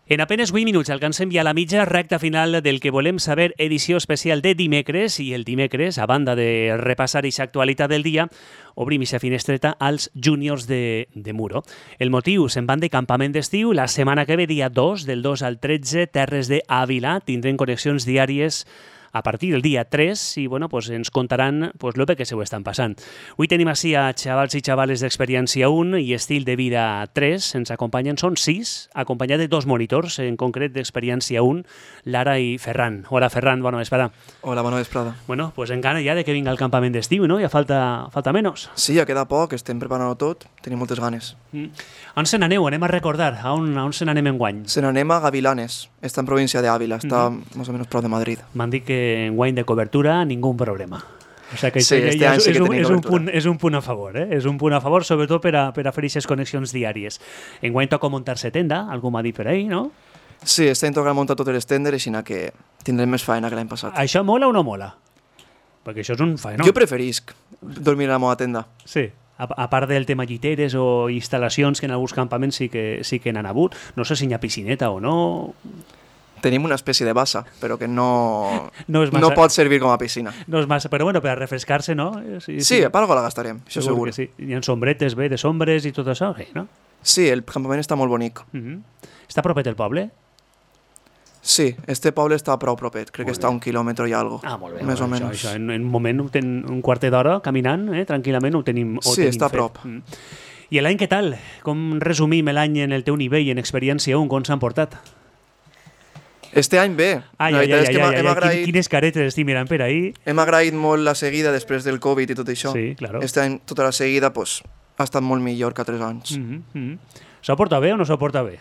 En apenas 8 minuts alcancem ja la mitja recta final del que volem saber, edició especial de dimecres, i el dimecres, a banda de repassar aquesta actualitat del dia, obrim aquesta finestreta als júniors de Muro. El motiu, se'n van de campament d'estiu, la setmana que ve, dia 2, del 2 al 13, Terres d'Àvila, tindrem connexions diàries a partir del dia 3 i bueno, pues ens contaran pues, lo bé que se ho estan passant. Avui tenim així a xavals i xavales d'Experiència 1 i Estil de Vida 3. Ens acompanyen, són 6, acompanyats de 2 monitors, en concret d'Experiència 1, Lara i Ferran. Hola, Ferran, bona vesprada. Hola, bona vesprada. Bueno, pues en gana ja de que vinga el campament d'estiu, no? Ja falta menys. Sí, ja queda poc, estem preparant-ho tot, tenim moltes ganes. On se n'aneu? Anem a recordar. A on se n'anem enguany? Se n'anem a Gavilanes, està en província d'Àvila, està més o menys prop de Madrid. M'han dit que enguany de cobertura ningú problema. O sea que sí, este any sí que tenim cobertura. És un punt a favor, eh? És un punt a favor, sobretot per a fer aquestes connexions diàries. Enguany toca muntar-se tenda, algú m'ha dit per ahí, no? Sí, estem tocant muntar totes les tendes, així que tindrem més feina que l'any passat. Això mola o no mola? Perquè això és un faenó. Jo preferisc dormir a la meva tenda. Sí. A part del tema lliteres o instal·lacions que en alguns campaments sí que n'han hagut. No sé si hi ha piscineta o no. Tenim una espècie de bassa, però que no pot servir com a piscina. No és massa, però bueno, per a refrescar-se, no? Sí, a part la gastarem, això segur. Sí. Hi ha sombretes bé, de sombres i tot això, no? Sí, el campament està molt bonic. Està propet del poble? Sí, este poble està prou propet, crec que està a 1 quilòmetre i algo. Ah, molt bé. Més o menys. Això, en un moment, un quartet d'hora caminant, tranquil·lament, ho tenim fet. Sí, està a prop. I l'any què tal? Com resumim l'any en el teu nivell, en Experiència 1, com s'han portat? Este any bé. Quines caretes estic mirant per ahí. Hem agraït molt la seguida després del Covid i tot això. Sí, claro. Este any tota la seguida pues, ha estat molt millor que 3 anys. S'ho porta bé o no s'ho porta bé?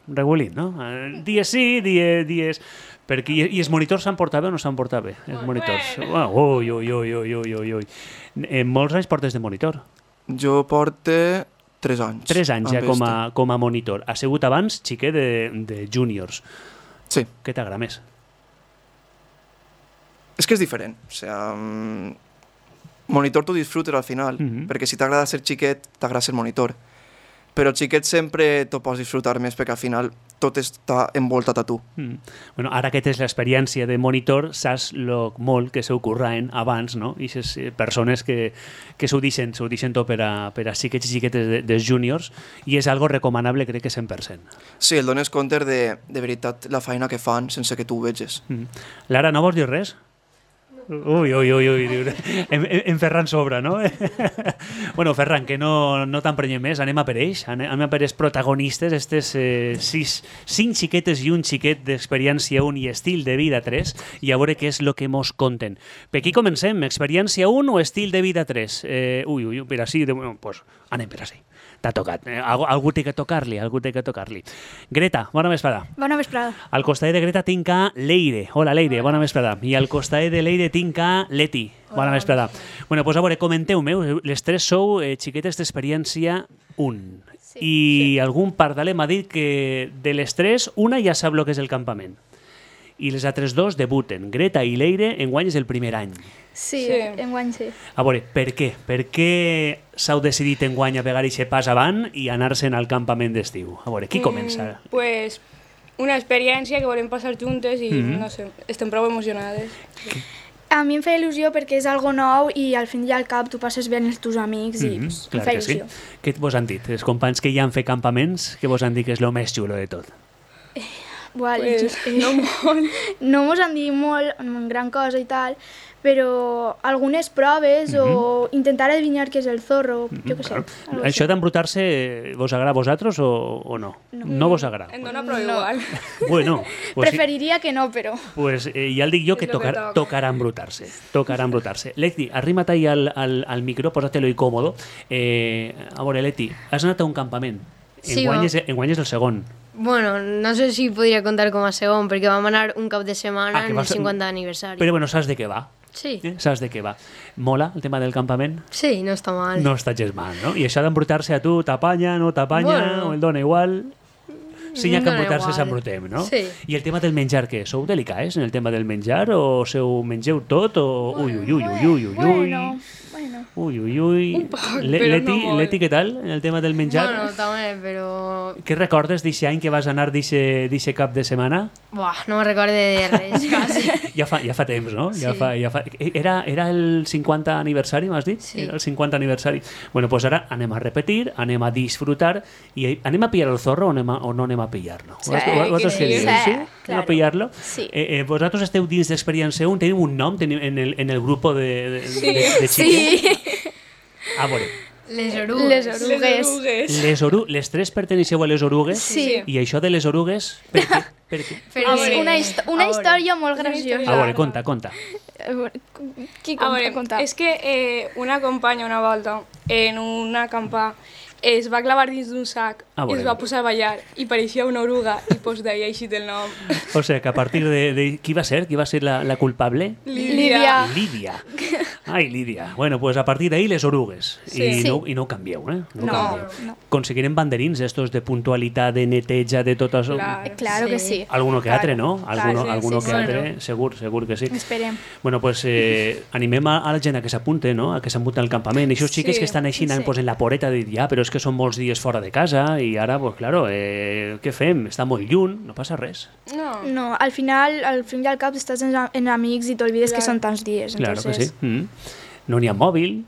Regulín, no? Dies sí, dies... I els monitors s'han portat bé o no s'han portat bé? Els monitors. Ui. Molts anys portes de monitor. Jo porto 3 anys. 3 anys ja com a monitor. Ha sigut abans xiquet de júniors. Sí. Què t'agrada més? És que és diferent. O sea, monitor t'ho disfrutes al final, perquè si t'agrada ser xiquet, t'agrada ser monitor. Però xiquet sempre t'ho pots disfrutar més, perquè al final tot està envoltat a tu. Bueno, ara que tens l'experiència de monitor, saps lo molt que s'ho curraven abans, no? I aquestes persones que s'ho deixen tot per a xiquets i xiquetes dels júniors, i és algo recomanable, crec que 100%. Sí, el dones compte de veritat la feina que fan sense que tu ho veges. Lara, no vols dir res? Ui, en Ferran sobra, no? Bueno, Ferran, que no t'emprenyem més, anem a per ells, anem a per els protagonistes, aquestes 5 xiquetes i un xiquet d'Experiència 1 i Estil de Vida 3, i a veure què és el que mos conten. Per aquí comencem, Experiència 1 o Estil de Vida 3? Per així, pues anem per així. T'ha tocat. Algú té que tocar-li. Greta, bona vesprada. Bona vesprada. Al costat de Greta tinc a Leire. Hola, Leire, bona vesprada. I al costat de Leire tinc a Leti. Bona vesprada. Bueno, pues a veure, comenteu-me. Les 3 sou xiquetes d'Experiència 1. Sí, I algun pardaler m'ha dit que de les 3, una ja sap el que és el campament. I les altres 2 debuten. Greta i Leire, enguany és el primer any. Sí, enguany sí. A veure, per què? Per què s'heu decidit enguany a pegar aquest pas avant i anar-se'n al campament d'estiu? A veure, qui comença? Pues una experiència que volem passar juntes i no sé, estem prou emocionades. A mi em fa il·lusió perquè és algo nou i al fin i al cap tu passes bé amb els teus amics i em fa il·lusió. Sí. Què vos han dit? Els companys que ja han fet campaments, què vos han dit que és el més xulo de tot? No molt. No mos han dit molt, gran cosa i tal, però algunes proves o intentar adivinar què és el zorro, jo què sé. Això d'embrutar-se vos agrada a vosaltres o no? No vos agrada? Em dona prou igual. Bueno, preferiria que no, però... Pues ja el dic jo que tocarà embrutar-se. Leti, arrima't ahí al micro, posa-te-lo incòmodo. A veure, Leti, has anat a un campament. Enguany és el segon. Bueno, no sé si podria contar com a segon, perquè vam anar un cap de setmana en el 50 aniversari. Però bueno, saps de què va? Sí. Saps de què va? Mola el tema del campament? Sí, no està mal. No està gens mal, no? I això d'embrutar-se a tu, t'apanya, no t'apanya, o el dona igual... Si hi ha que embrutar-se, s'embrutem, no? Sí. I el tema del menjar, què? Sou delicats en el tema del menjar? O mengeu tot? O... Bueno, Ui, ui, ui. Un poc, però no molt. Leti, què tal, en el tema del menjar? Bueno, també, però... Què recordes d'aquest any que vas anar d'aquest cap de setmana? Buah, no me recorde de res, quasi. Ja fa temps, no? Sí. Era el 50 aniversari, m'has dit? Sí. Era el 50 aniversari. Bueno, doncs ara anem a repetir, anem a disfrutar i anem a pillar el zorro o no anem a pillar-lo? Sí, Vosaltres què dieu? sí, Anem claro. a pillar-lo? Sí. Vosaltres esteu dins d'Experiència 1, teniu un nom en el grup de xiquets? Sí. A veure, Les orugues. Les orugues. les tres perteneixeu a les orugues? Sí. I això de les orugues, per què? Per què? Però És una història molt Una graciosa. història. A veure, conta. Qui A veure, conta? és que una companya una volta en un acampar es va clavar dins d'un sac Ah, i es bueno. va posar a ballar i pareixia una oruga i pues d'ahir així el nom. O sigui, que a partir de... Qui va ser? Qui va ser la culpable? Lídia. Lídia. Ai, Lídia. Bueno, pues a partir d'ahí les orugues. Sí. I no ho canvieu, eh? No, no. Aconseguirem banderins estos de puntualitat, de neteja, de tot això? Claro. Claro que sí. Alguno que altre, no? Alguno sí, que sí. altre, segur que sí. Esperem. Bueno, pues animem a la gent a que s'apunte, no? A que s'apunte al campament. Aquests xiques Sí, que estan així sí. pues, en la poreta de dir, ja, però és que són molts dies fora de casa i ara, pues claro, què fem? Està molt lluny, no passa res. No. No, al final, al fin i al cap, estàs en amics i t'olvides que són tants dies. Claro que entonces, sí. No n'hi ha mòbil.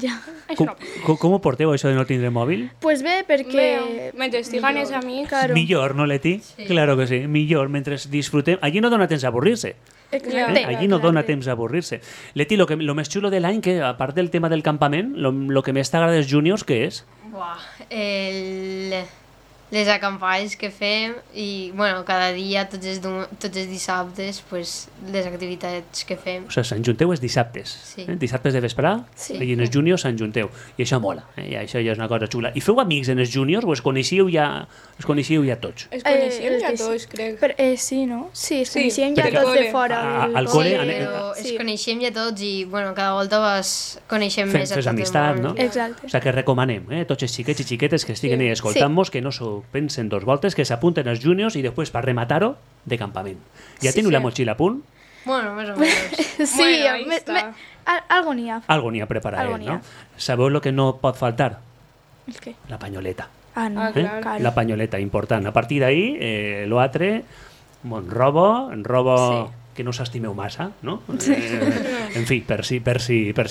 Ja. Com ho porteu, això de no tindre mòbil? Pues bé, perquè... Mentre estiguen els amics... Claro. Millor, no, Leti? Claro que sí, millor, mentre disfrutem... Allí no dona temps a avorrir-se. Exacte. Allí no dona temps a avorrir-se. Leti, lo més xulo de l'any, que a part del tema del campament, lo que més t'agrada dels juniors, què és? Buah, les acampades que fem i, bueno, cada dia, tots els dissabtes, pues, les activitats que fem. O sigui, s'enjunteu els dissabtes. Sí. Dissabtes de vesprà, Sí. i en els juniors s'enjunteu. I això mola, i això ja és una cosa xula. I feu amics en els juniors o els coneixíeu ja tots? Es coneixien els ja de- tots, crec. Sí, no? Sí, es Sí, coneixien ja perquè- tots de Al fora. al del col·le, Però Sí. ens coneixem ja tots i, bueno, cada volta coneixem més a Fes tot amistat, el no? món. Exacte. O sigui que recomanem, tots els xiquets i xiquetes que estiguen ahí escoltant-nos, que no s'ho pensen dos voltes, que s'apunten als juniors i després, per rematar-ho, de campament. Ja teniu la motxilla a punt? Bueno, més o menys. Sí, Bueno, ahí está. algo n'hi ha. Algo n'hi ha preparat, Algo n'hi no? ha. Sabeu el que no pot faltar? El què? La panyoleta. Ah, no. Ah, clar. Claro. La panyoleta, important. A partir d'ahí, l'altre, robo Sí. que no s'estimeu massa, no? En fi, per si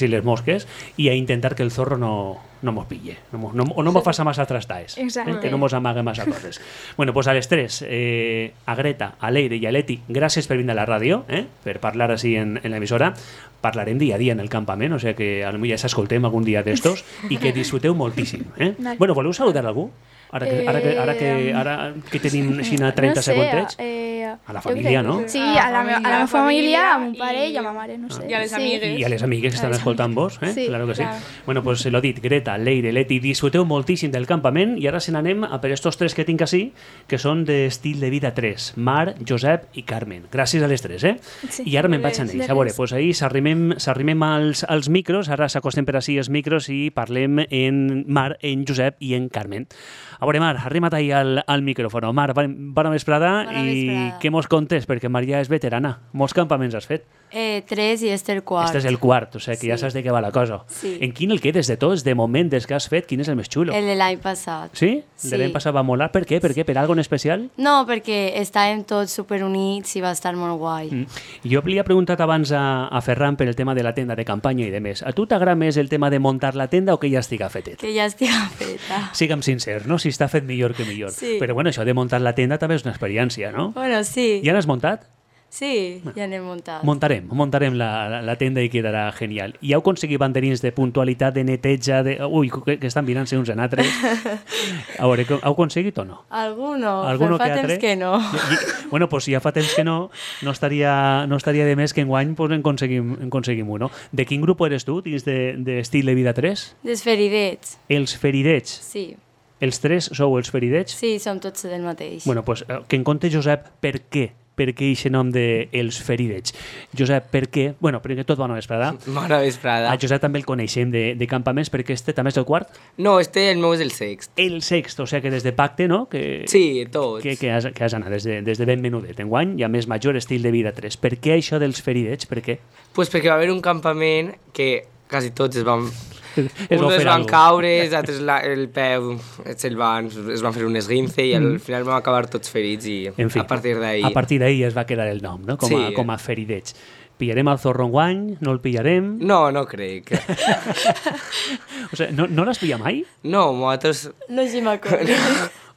les mosques, i a intentar que el zorro no mos pille, o no mos faça massa trastaes, Exacte. que no mos amague massa coses. Bueno, pues a les tres, a Greta, a Leire i a Leti, gràcies per vindre a la ràdio, per parlar així en l'emissora. Parlarem dia a dia en el campament, o sigui que potser ja s'escoltem algun dia d'estos i que disfruteu moltíssim. Vale. Bueno, voleu saludar algú? Ara que tenim així 30 segundets. A la família, no? Sí, a la meva família, a mon i- pare i a ma mare, no sé. i a les Sí. amigues. I a les amigues que estan escoltant vos, Sí, claro que sí. clar. Bueno, pues lo dit, Greta, Leire, Leti, disfruteu moltíssim del campament i ara se n'anem a per estos tres que tinc així, que són d'estil de vida 3, Mar, Josep i Carmen. Gràcies a les tres, Sí. I ara me'n vaig a ells. A veure, pues ahir s'arrimem als micros, ara s'acostem per així els micros i parlem en Mar, en Josep i en Carmen. A veure, Mar, arrima't ahí al micròfon. Mar, bona vesprada Bona i vesprada. què mos contes? Perquè Mar ja és veterana. Molts campaments has fet. 3 i este el quart. Este és el quart, o sigui que ja Sí. saps de què va la cosa. Sí. En quin el quedes de tots, de moment, des que has fet, quin és el més xulo? El de l'any passat. Sí? Sí. De l'any passat va molar. Per què? Per què? Per algo en especial? No, perquè estàvem tots superunits i va estar molt guai. Jo li he preguntat abans a Ferran per el tema de la tenda de campanya i de més. A tu t'agrada més el tema de muntar la tenda o que ja estiga fetet? Que ja estic feta. Sigue'm sincer, no? Si està fet millor que millor. Sí. Però bueno, això de muntar la tenda també és una experiència, no? Bueno, sí. Ja n'has muntat? Sí, ja n'hem muntat. Muntarem la tenda i quedarà genial. I heu aconseguit banderins de puntualitat, de neteja, de... Ui, que estan mirant-se uns en altres. A veure, heu aconseguit o no? Alguno, Alguno però fa que altre? temps que no. Bueno, pues si ja fa temps que no estaria de més que enguany pues, en aconseguim un, no? De quin grup eres tu, dins d'estil de vida 3? Desferidets. Els feridets. Sí, Els tres sou els feridets? sí, som tots del mateix. Bueno, pues, que en conte, Josep, per què? Per què aquest nom de Els feridets? Josep, per què? Bueno, perquè tot bona vesprada. Bona vesprada. A Josep també el coneixem de campaments, perquè este també és el quart. No, el meu és el sext. El sext, o sigui que des de pacte, no? Que, Sí, tots. que has anat des de ben menudet. Enguany, ja més major, estil de vida 3. Per què això dels feridets? Per què? Pues perquè va haver un campament que quasi tots es van... Es va Uns fer van algo. caure, els altres el peu es van fer un esguince i al final vam acabar tots ferits i En fi, a partir d'ahí... A partir d'ahí es va quedar el nom, no? Com a feridets. Pillarem el zorro enguany? No el pillarem? No, no crec. O sigui, no l'has pillat mai? No, nosaltres... No sé m'acordo.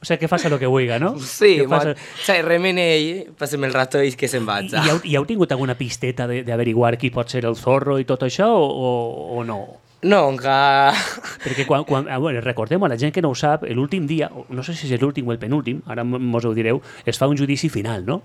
O sigui, que faça el que vulga, no? Sí, Que faça- remen ell, passem el rato i que se'n vaig. I heu tingut alguna pisteta d'averiguar qui pot ser el zorro i tot això o no? No, encara... Perquè bueno, recordem a la gent que no ho sap, l'últim dia, no sé si és l'últim o el penúltim, ara mos ho direu, es fa un judici final, no?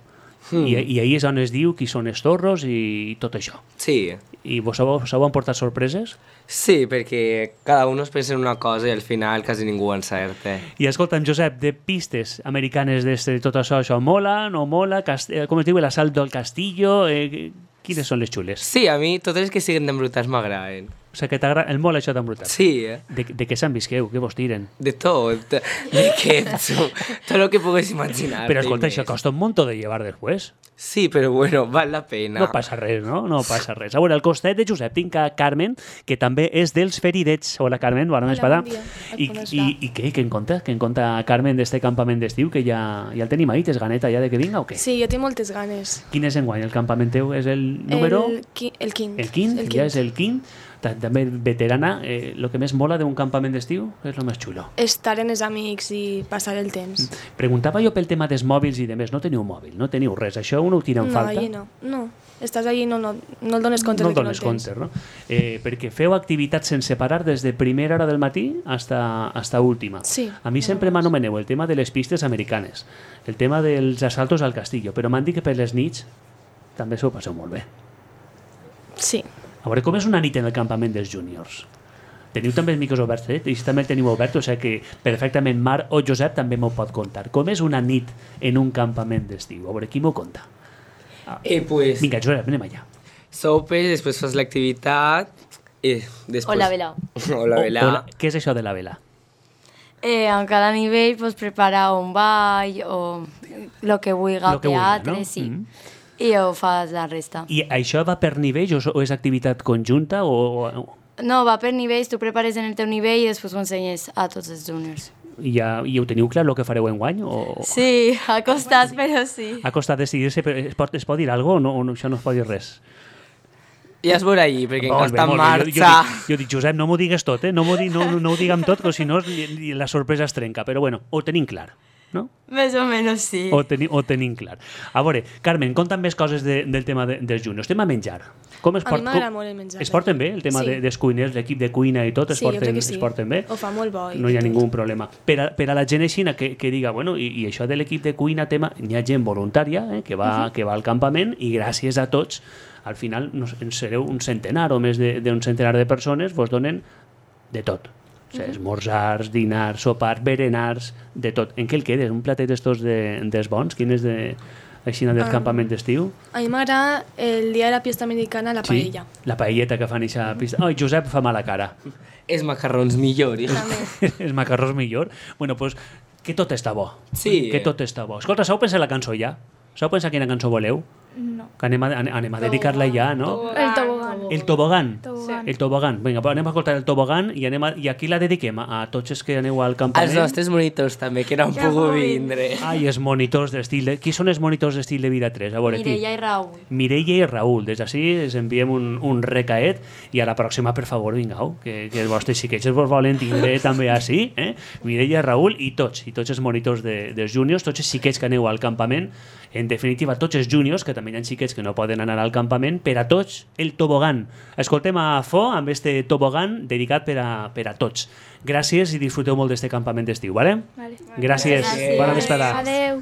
I ahir és on es diu qui són els zorros i tot això. Sí, I vos heu emportat sorpreses? sí, perquè cada un es pensa en una cosa i al final quasi ningú encerta. I escolta'm, Josep, de pistes americanes de tot això mola, no mola? Com es diu, l'assalt del Castillo? Quines són les xules? Sí, a mi totes les que siguen d'embrutats m'agraden. O sigui, que t'agrada el mola això d'embrutat. Sí, De què s'envisqueu? Què vos tiren? de tot, de ketchup, tot el que pugues imaginar. Però escolta, això costa un munt de llevar després. Sí, però bueno, val la pena. No passa res, no? No passa res. A veure, al costat de Josep tinc a Carmen, que també és dels feridets. Hola, Carmen, bona vesprada. bon dia. I què en conta? Què en conta Carmen d'este campament d'estiu, que ja el tenim ahí? Tens ganeta ja de que vinga o què? Sí, jo tinc moltes ganes. Quin és enguany? El campament teu és el número... El quint. El quint, ja és el quint. També veterana. El que més mola d'un campament d'estiu és el més xulo. Estar amb els amics i passar el temps. Preguntava jo pel tema dels mòbils i de més. No teniu mòbil, no teniu res. Això uno ho tira en falta. allí no. No, estàs allí i no el dones compte No de el que no dones el tens. compte, no? Perquè feu activitats sense parar des de primera hora del matí hasta última. Sí. A mi sempre m'anomeneu el tema de les pistes americanes, el tema dels assaltos al castillo, però m'han dit que per les nits també s'ho passeu molt bé. Sí. A veure, com és una nit en el campament dels júniors? Teniu també els micros oberts, I si també el teniu obert, o sigui que perfectament Marc o Josep també m'ho pot contar. Com és una nit en un campament d'estiu? A veure, qui m'ho conta? Pues, Vinga, Josep, anem allà. sopes, després fas l'activitat i després... O la vela. O la vela. Què és això de la vela? En cada nivell pues, prepara un ball o lo que vulgui, Lo que vulga, teatre, no? sí. Mhm. I ho fas la resta. I això va per nivells o és activitat conjunta o No, va per nivells, tu prepares en el teu nivell i després ho ensenyes a tots els juniors. i ho teniu clar el que fareu enguany? O... Sí, ha costat, però sí. Ha costat decidir-se, però es pot dir alguna cosa o no, això no es pot dir res? Ja es veurà allí, perquè encara està en Molt bé. marxa. Jo dic, Josep, no m'ho digues tot, no ho diguem tot, que si no la sorpresa es trenca. Però bueno, ho tenim clar, no? Més o menys sí. Ho tenim clar. A veure, Carmen, conta'm més coses del tema dels juniors. Tema menjar. Com es A mi m'agrada molt el menjar. Es porten bé, el tema Sí. dels cuiners, l'equip de cuina i tot, Sí, jo crec que sí. es porten bé? Ho fa molt bo. No hi ha ningú problema. Per a la gent així que diga, bueno, i això de l'equip de cuina, n'hi ha gent voluntària que va al campament i gràcies a tots, al final en sereu un centenar o més d'un centenar de persones, vos donen de tot. O sigui, esmorzars, dinars, sopars, berenars, de tot. En què el quedes? Un platet d'estos dels bons? Quin és així del campament d'estiu? A mi m'agrada el dia de la fiesta americana, la paella. Sí, la paelleta que fan eixa pista. Ai, Josep fa mala cara. Els macarrons millor. Els macarrons millor. Bueno, doncs que tot està bo. Sí. Que tot està bo. Escolta, sabeu pensar la cançó ja? Sabeu pensar quina cançó voleu? No. Que anem a dedicar-la ja, no? El tobogán. El tobogán. Tobogán. El tobogán. Vinga, anem a escoltar el tobogán i aquí la dediquem a tots els que aneu al campament. Els nostres monitors també, que no han pogut vindre. Ai, els monitors d'estil de... Qui són els monitors d'estil de vida 3? A veure, qui? Mireia i Raül. Mireia i Raül. Des d'ací els enviem un recaet i a la pròxima, per favor, vingueu, que els vostres xiquets vos volen tindre també així, Mireia, Raül i tots els monitors dels júniors, tots els xiquets que aneu al campament, en definitiva, tots els júniors, que també hi ha xiquets que no poden anar al campament, per a tots, el tobogán. Escoltem a Fo amb este tobogán dedicat per a tots. Gràcies i disfruteu molt d'este campament d'estiu, vale? Vale. Gràcies. Bona vesprada. Adeu.